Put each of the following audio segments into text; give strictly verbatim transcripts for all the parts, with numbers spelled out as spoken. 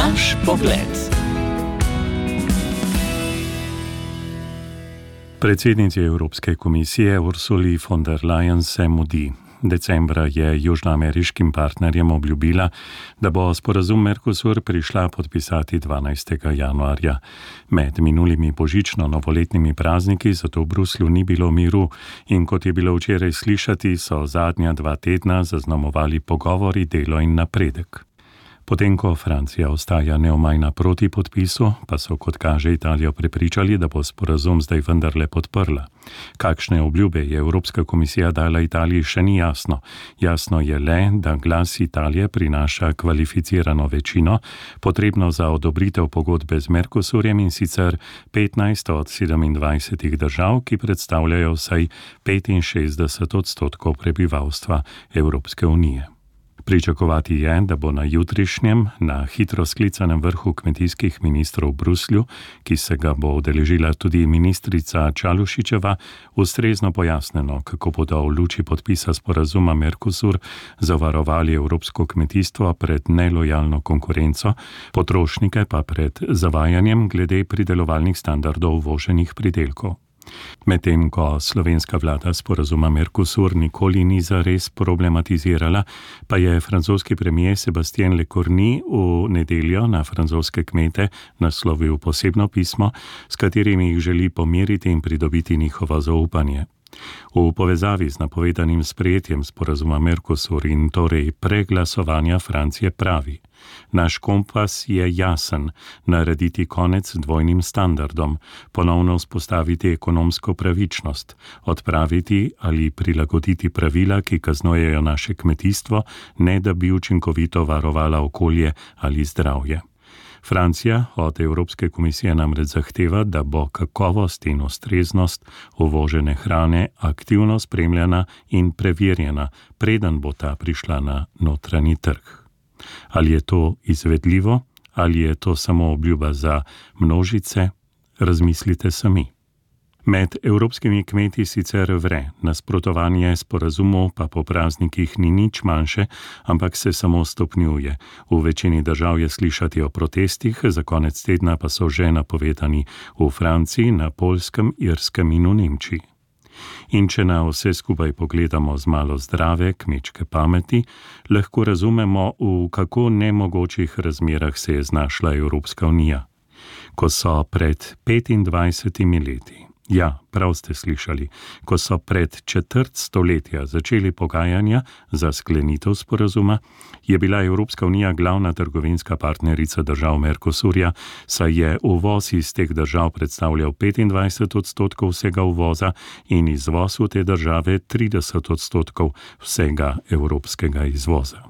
Naš pogled. Predsednici Evropske komisije Ursuli von der Leyen se mudi. Decembra je južnoameriškim partnerjem obljubila, da bo sporazum Mercosur prišla podpisati dvanajstega januarja. Med minulimi božično-novoletnimi prazniki zato v Bruslju ni bilo miru in kot je bilo včeraj slišati, so zadnja dva tedna zaznamovali pogovori, delo in napredek. Potem, ko Francija ostaja neomajna proti podpisu, pa so, kot kaže, Italijo prepričali, da bo sporazum zdaj vendarle podprla. Kakšne obljube je Evropska komisija dala Italiji, še ni jasno. Jasno je le, da glas Italije prinaša kvalificirano večino, potrebno za odobritev pogodbe z Mercosurjem, in sicer petnajst od sedemindvajsetih držav, ki predstavljajo vsaj petinšestdeset odstotkov prebivalstva Evropske unije. Pričakovati je, da bo na jutrišnjem, na hitro sklicanem vrhu kmetijskih ministrov v Bruslju, ki se ga bo udeležila tudi ministrica Čalušićeva, ustrezno pojasneno, kako bodo v luči podpisa sporazuma Mercosur zavarovali evropsko kmetijstvo pred nelojalno konkurenco, potrošnike pa pred zavajanjem glede pridelovalnih standardov uvoženih pridelkov. Medtem ko slovenska vlada sporazuma Mercosur nikoli ni zares problematizirala, pa je francoski premier Sébastien Lecornu v nedeljo na francoske kmete naslovil posebno pismo, s katerim jih želi pomiriti in pridobiti njihovo zaupanje. V povezavi z napovedanim sprejetjem sporazuma Mercosur in torej preglasovanja Francije pravi: naš kompas je jasen, narediti konec dvojnim standardom, ponovno vzpostaviti ekonomsko pravičnost, odpraviti ali prilagoditi pravila, ki kaznujejo naše kmetijstvo, ne da bi učinkovito varovala okolje ali zdravje. Francija od Evropske komisije namreč zahteva, da bo kakovost in ustreznost uvožene hrane aktivno spremljana in preverjena, preden bo ta prišla na notranji trg. Ali je to izvedljivo, ali je to samo obljuba za množice, razmislite sami. Med evropskimi kmeti sicer vre, nasprotovanje sporazumu pa po praznikih ni nič manjše, ampak se samo stopnjuje. V večini držav je slišati o protestih, za konec tedna pa so že napovedani v Franciji, na Poljskem, Irskem in v Nemčiji. In če na vse skupaj pogledamo z malo zdrave kmečke pameti, lahko razumemo, v kako nemogočih razmerah se je znašla Evropska unija. Ko so pred petindvajsetimi leti, ja, prav ste slišali, ko so pred četrt stoletja začeli pogajanja za sklenitev sporazuma, je bila Evropska unija glavna trgovinska partnerica držav Mercosurja, saj je uvoz iz teh držav predstavljal petindvajset odstotkov vsega uvoza in izvoz v te države trideset odstotkov vsega evropskega izvoza.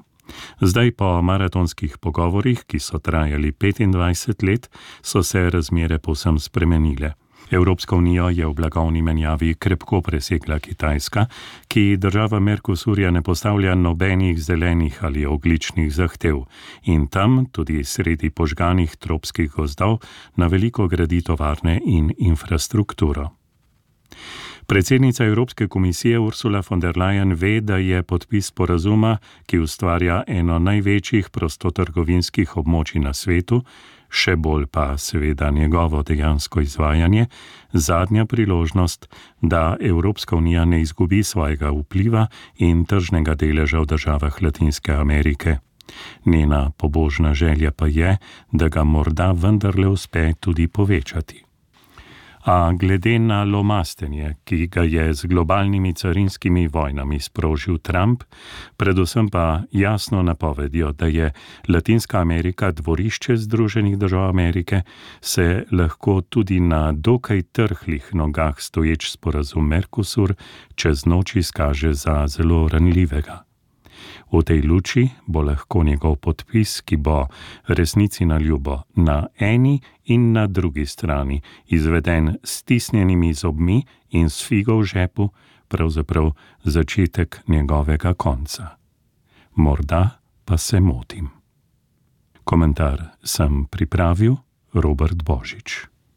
Zdaj po maratonskih pogovorih, ki so trajali petindvajset let, so se razmere povsem spremenile. Evropska unija je v blagovni menjavi krepko presegla Kitajska, ki država Mercosurja ne postavlja nobenih zelenih ali ogljičnih zahtev in tam, tudi sredi požganih tropskih gozdov, na veliko gradi tovarne in infrastrukturo. Predsednica Evropske komisije Ursula von der Leyen ve, da je podpis sporazuma, ki ustvarja eno največjih prostotrgovinskih območij na svetu, še bolj pa seveda njegovo dejansko izvajanje, zadnja priložnost, da Evropska unija ne izgubi svojega vpliva in tržnega deleža v državah Latinske Amerike. Njena pobožna želja pa je, da ga morda vendarle uspe tudi povečati. A glede na lomastenje, ki ga je z globalnimi carinskimi vojnami sprožil Trump, predvsem pa jasno napovedjo, da je Latinska Amerika dvorišče Združenih držav Amerike, se lahko tudi na dokaj trhlih nogah stoječ sporazum Mercosur čez noč izkaže za zelo ranljivega. V tej luči bo lahko njegov podpis, ki bo resnici na ljubo na eni in na drugi strani izveden s stisnjenimi zobmi in s figo v žepu, pravzaprav začetek njegovega konca. Morda pa se motim. Komentar sem pripravil Robert Božič.